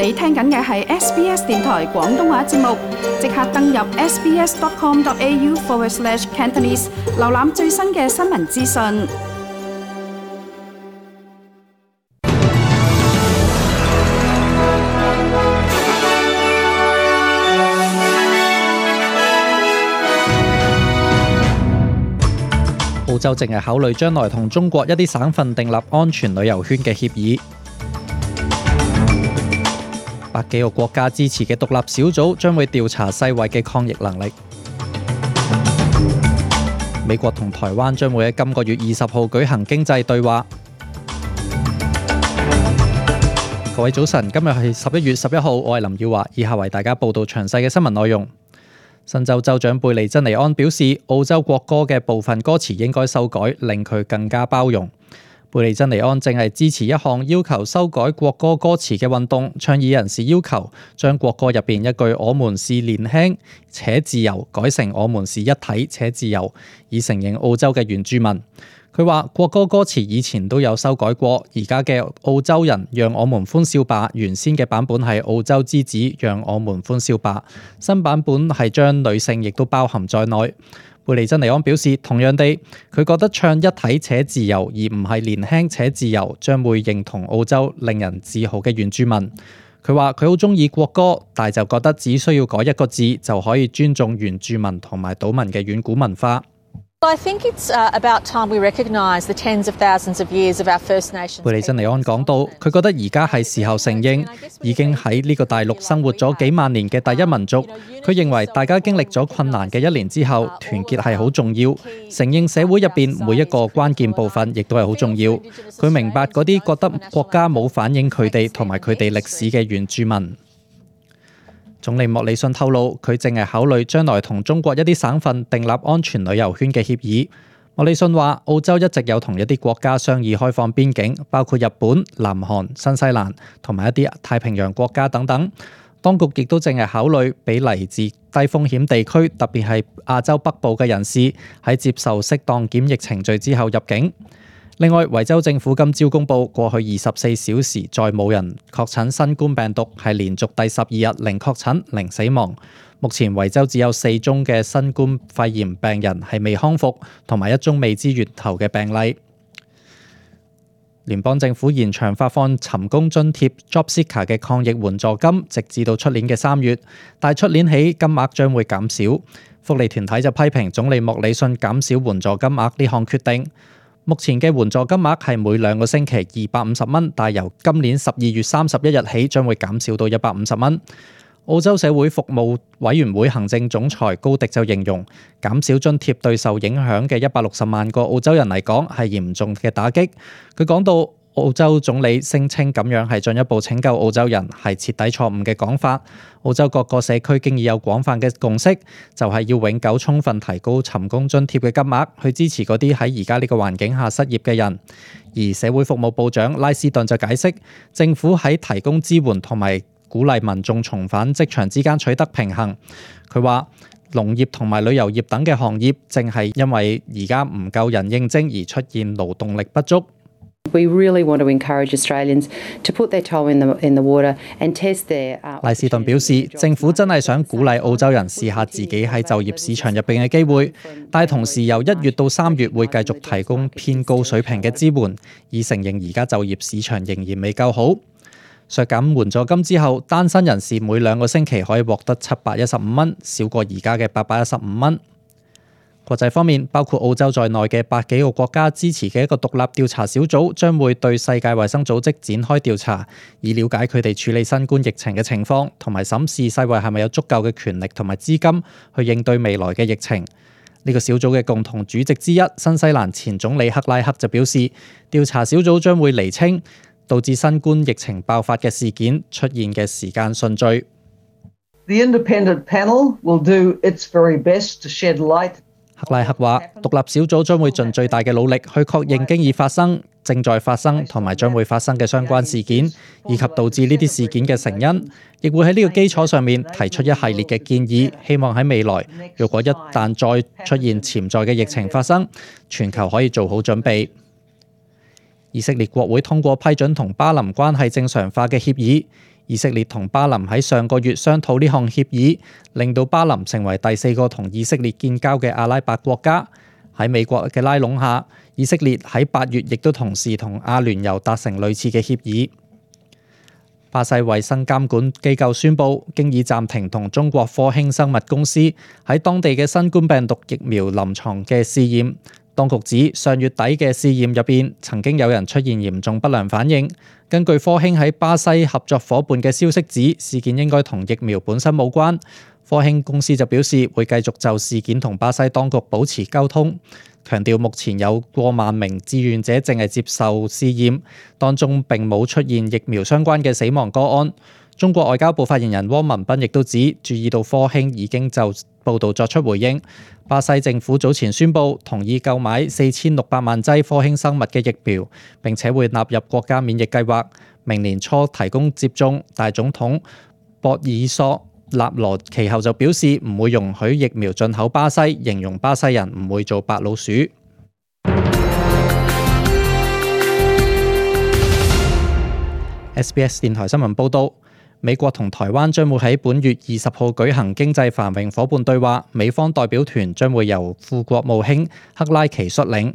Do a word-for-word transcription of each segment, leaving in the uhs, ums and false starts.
你聽緊嘅係 S B S 電台廣東話節目，即刻登入 sbs.com.au forward slash Cantonese， 瀏覽最新嘅新聞資訊。澳洲正係考慮將來同中國一啲省份訂立安全旅遊圈嘅協議。百幾個國家支持嘅獨立小組將會調查世衛嘅抗疫能力。美國同台灣將會喺今個月二十號舉行經濟對話。各位早晨，今日係十一月十一號，我係林耀華，以下為大家報道詳細嘅新聞內容。新州州長貝利珍尼安表示，澳洲國歌嘅部分歌詞應該修改，令佢更加包容。貝利珍尼安正係支持一項要求修改國歌歌詞嘅運動，倡議人士要求將國歌入邊一句我們是年輕且自由改成我們是一體且自由，以承認澳洲嘅原住民。佢話國歌歌詞以前都有修改過，而家嘅澳洲人讓我們歡笑吧原先嘅版本係澳洲之子讓我們歡笑吧，新版本係將女性亦都包含在內。貝利珍尼安表示，同樣地，佢覺得唱一體且自由而唔係年輕且自由，將會認同澳洲令人自豪嘅原住民。佢話佢好中意國歌，但就覺得只需要改一個字就可以尊重原住民同埋島民嘅遠古文化。I think it's about time we recognise the tens of thousands of years of our First Nations. 貝利珍尼安講到，佢覺得而家係時候承認已經喺呢個大陸生活咗幾萬年嘅第一民族。佢認為大家經歷咗困難嘅一年之後，團結係好重要。承認社會入邊每一個關鍵部分，亦都係好重要。佢明白嗰啲覺得國家冇反映佢哋同埋佢哋歷史嘅原住民。總理莫里遜透露，佢正係考慮將來同中國一啲省份訂立安全旅遊圈嘅協議。莫里遜話，澳洲一直有同一啲國家商議開放邊境，包括日本、南韓、新西蘭同埋一啲太平洋國家等等。當局亦都正係考慮俾嚟自低風險地區，特別係亞洲北部嘅人士喺接受適當檢疫程序之後入境。另外，維州政府今朝公布，過去二十四小時再冇人確診新冠病毒，係連續第十二日零確診、零死亡。目前維州只有四宗嘅新冠肺炎病人係未康復，同埋一宗未知源頭嘅病例。聯邦政府延長發放尋工津貼 JobSeeker 嘅抗疫援助金，直至到出年嘅三月，但係出年起金額將會減少。福利團體就批評總理莫里遜減少援助金額呢項決定。目前嘅援助金額係每兩個星期二百五十蚊，但由今年十二月三十一日起將會減少到一百五十蚊。澳洲社會服務委員會行政總裁高迪就形容，減少津貼對受影響嘅一百六十萬個澳洲人嚟講係嚴重嘅打擊。佢講到，澳洲總理聲稱咁樣係進一步拯救澳洲人，係徹底錯誤嘅講法。澳洲各個社區經已有廣泛嘅共識，就係要永久充分提高尋工津貼嘅金額，去支持嗰啲喺而家呢個環境下失業嘅人。而社會服務部長拉斯頓就解釋，政府喺提供支援同埋鼓勵民眾重返職場之間取得平衡。佢話，農業同埋旅遊業等嘅行業正係因為而家唔夠人應徵而出現勞動力不足。We really want to encourage Australians to put their toe in the in the water and test their. 賴士頓表示，政府真係想鼓勵澳洲人試下自己喺就業市場入邊嘅機會，但係同時由一月到三月會繼續提供偏高水平嘅支援，以承認而家就業市場仍然未夠好。削減援助金之後，單身人士每兩個星期可以獲得七百一十五蚊，少過而家嘅八百一十五蚊。國際方面，包括澳洲在內嘅百幾個國家支持嘅一個獨立調查小組，將會對世界衛生組織展開調查，以了解佢哋處理新冠疫情嘅情況，同埋審視世衛係咪有足夠嘅權力同埋資金去應對未來嘅疫情。呢個小組嘅共同主席之一，新西蘭前總理克拉克就表示，調查小組將會釐清導致新冠疫情爆發嘅事件出現嘅時間順序。The independent panel will do its very best to shed light. 克拉克話，獨立小組將會盡最大嘅努力去確認經已發生、正在發生同埋將會發生嘅相關事件，以及導致呢啲事件嘅成因，亦會喺呢個基礎上面提出一系列嘅建議，希望喺未來，如果一旦再出現潛在嘅疫情發生，全球可以做好準備。以色列國會通過批准同巴林關係正常化嘅協議。以色列同巴林喺上個月商討呢項協議，令到巴林成為第四個同以色列建交嘅阿拉伯國家。喺美國嘅拉攏下，以色列喺八月亦都同時同阿聯酋達成類似嘅協議。巴西衛生監管機構宣布，經已暫停同中國科興生物公司喺當地嘅新冠病毒疫苗臨床嘅試驗。當局指上月底嘅試驗入邊，曾經有人出現嚴重不良反應。根據科興喺巴西合作伙伴嘅消息指，事件應該同疫苗本身冇關。科興公司就表示會繼續就事件同巴西當局保持溝通，強調目前有過萬名志願者正係接受試驗，當中並冇出現疫苗相關嘅死亡個案。中國外交部發言人汪文斌亦都指，注意到科興已經就報導作出回應。巴西政府早前宣布同意購買四千六百萬劑科興生物嘅疫苗，並且會納入國家免疫計劃，明年初提供接種。大總統博爾索納羅其後就表示唔會容許疫苗進口巴西，形容巴西人唔會做白老鼠。S B S 電台新聞報導。美國同台灣將會喺本月二十號舉行經濟繁榮夥伴對話，美方代表團將會由副國務卿克拉奇率領。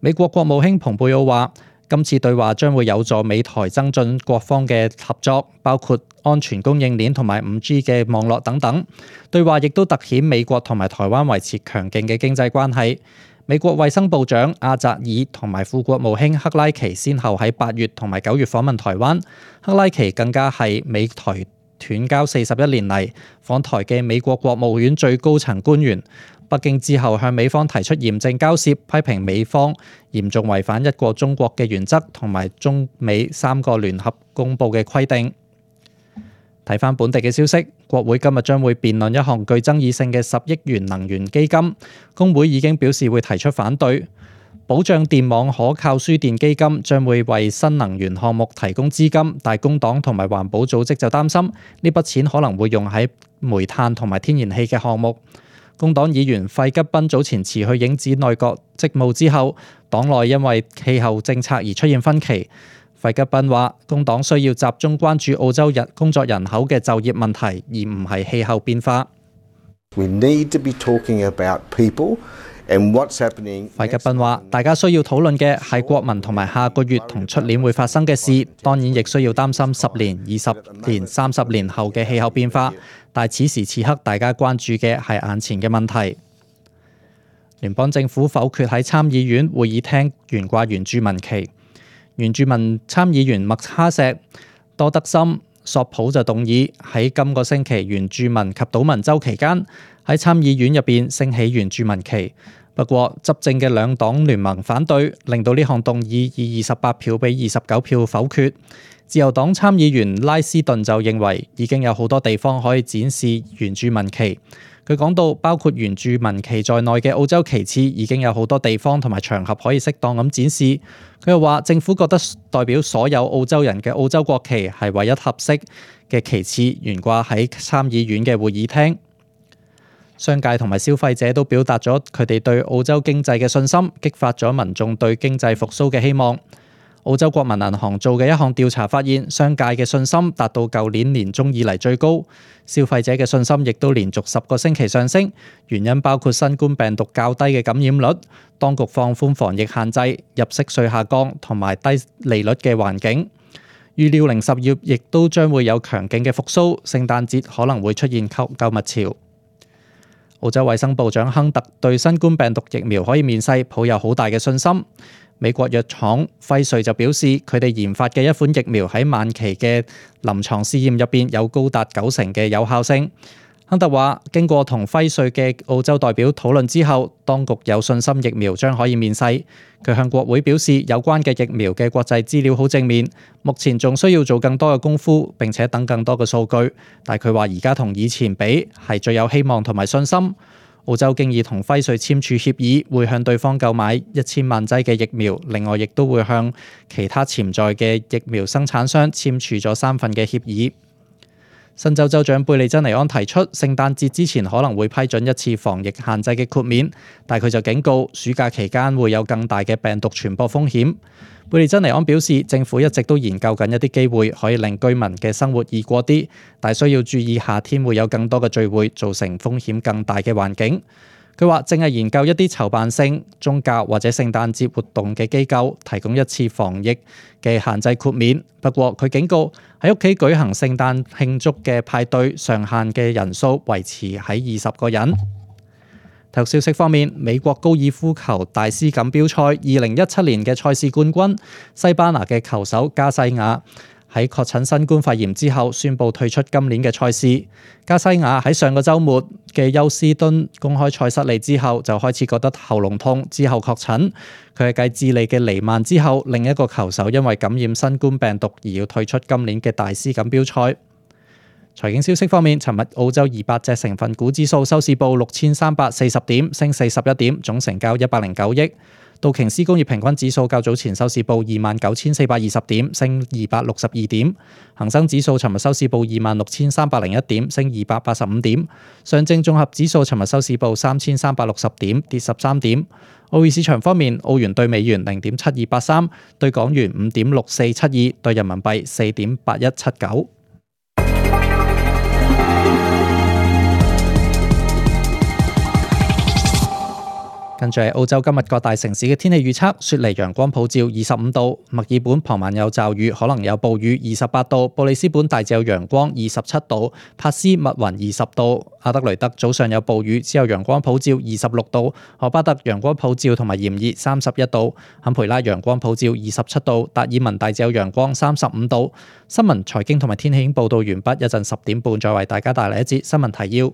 美國國務卿蓬佩奧話，今次對話將會有助美台增進各方嘅合作，包括安全供應鏈同埋五 G 嘅網絡等等。對話亦都凸顯美國同埋台灣維持強勁嘅經濟關係。美國衛生部長阿扎爾同埋副國務卿克拉奇先後喺八月同埋九月訪問台灣，克拉奇更加係美台斷交四十一年嚟訪台嘅美國國務院最高層官員。北京之後向美方提出嚴正交涉，批評美方嚴重違反一個中國嘅原則同埋中美三個聯合公佈嘅規定。睇返本地嘅消息，國會今日將會辯論一項具爭議性嘅十億元能源基金，工會已經表示會提出反對。保障電網可靠輸電基金將會為新能源項目提供資金，但工黨同埋環保組織就擔心呢筆錢可能會用喺煤炭同埋天然氣嘅項目。工黨議員費吉賓早前辭去影子內閣職務之後，黨內因為氣候政策而出現分歧。費吉賓話：工黨需要集中關注澳洲人工作人口嘅就業問題，而唔係氣候變化。We need to be talking about people and what's happening. 費吉賓話：大家需要討論嘅係國民同埋下個月同出年會發生嘅事，當然亦需要擔心十年、二十年、三十年後嘅氣候變化。但此時此刻，大家關注嘅係眼前嘅問題。聯邦政府否決喺參議院會議廳懸掛原住民旗。原住民參議員麥哈錫、多德森、索普就動議喺今個星期原住民及島民週期間喺參議院入邊升起原住民旗。不過執政嘅兩黨聯盟反對，令到呢項動議以二十八票比二十九票否決。自由黨參議員拉斯頓就認為已經有好多地方可以展示原住民旗。佢講到，包括原住民旗在內嘅澳洲旗幟已經有好多地方同埋場合可以適當咁展示。佢又話，政府覺得代表所有澳洲人嘅澳洲國旗係唯一合適嘅旗幟懸掛喺參議院嘅會議廳。商界同埋消費者都表達咗佢哋對澳洲經濟嘅信心，激發咗民眾對經濟復甦嘅希望。澳洲國民銀行做嘅一項調查發現，商界嘅信心達到舊年年中以嚟最高，消費者嘅信心亦都連續十個星期上升。原因包括新冠病毒較低嘅感染率、當局放寬防疫限制、入息稅下降同埋低利率嘅環境。預料零售業亦都將會有強勁嘅復甦，聖誕節可能會出現購購物潮。澳洲衛生部長亨特對新冠病毒疫苗可以面世抱有好大嘅信心。美國藥廠輝瑞就表示，佢哋研發嘅一款疫苗喺晚期嘅臨床試驗入邊有高達九成嘅有效性。亨特話，經過同輝瑞嘅澳洲代表討論之後，當局有信心疫苗將可以面世。佢向國會表示，有關嘅疫苗嘅國際資料好正面，目前仲需要做更多嘅功夫，並且等更多嘅數據。但佢話而家同以前比係最有希望同埋信心。澳洲經已同輝瑞簽署協議，會向對方購買一千萬劑嘅疫苗，另外亦都會向其他潛在嘅疫苗生產商簽署咗三份嘅協議。新州州長貝利珍尼安提出，聖誕節之前可能會批准一次防疫限制嘅豁免，但佢就警告暑假期間會有更大嘅病毒傳播風險。貝利珍尼安表示，政府一直都研究緊一啲機會可以令居民嘅生活易過啲，但需要注意夏天會有更多嘅聚會，造成風險更大嘅環境。佢話正係研究一啲籌辦性宗教或者聖誕節活動嘅機構提供一次防疫嘅限制豁免。不過佢警告喺屋企舉行聖誕慶祝嘅派對上限嘅人數維持喺二十個人。體育消息方面，美國高爾夫球大師錦標賽二零一七年嘅賽事冠軍西班牙嘅球手加西亞喺確診新冠肺炎之後宣布退出今年嘅賽事。加西亞喺上個週末嘅休斯敦公開賽失利之後就開始覺得喉嚨痛，之後確診。佢係繼智利嘅尼曼之後另一個球手因為感染新冠病毒而要退出今年嘅大師錦標賽。財經消息方面，尋日澳洲二百隻成分股指數收市報六千三百四十點，升四十一點，總成交一百零九億。道瓊斯工業平均指數較早前收市報二萬九千四百二十點，升二百六十二點。恒生指數尋日收市報二萬六千三百零一點，升二百八十五點。上證綜合指數尋日收市報三千三百六十點，跌十三點。澳匯市場方面，澳元對美元零點七二八三，對港元五點六四七二，對人民幣四點八一七九。跟住係澳洲今日各大城市嘅天氣預測：雪梨陽光普照二十五度，墨爾本傍晚有驟雨，可能有暴雨二十八度，布里斯本大致有陽光二十七度，珀斯密雲二十度，阿德雷德早上有暴雨，之後陽光普照二十六度，荷巴特陽光普照同埋炎熱三十一度，坎培拉陽光普照二十七度，達爾文大致有陽光三十五度。新聞財經同埋天氣已經報道完畢，一陣十點半再為大家帶嚟一節新聞提要。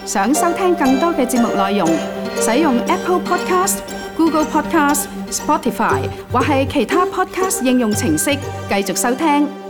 想收聽更多嘅節目內容，使用 Apple Podcast、Google Podcast、Spotify 或係其他 Podcast 應用程式繼續收聽。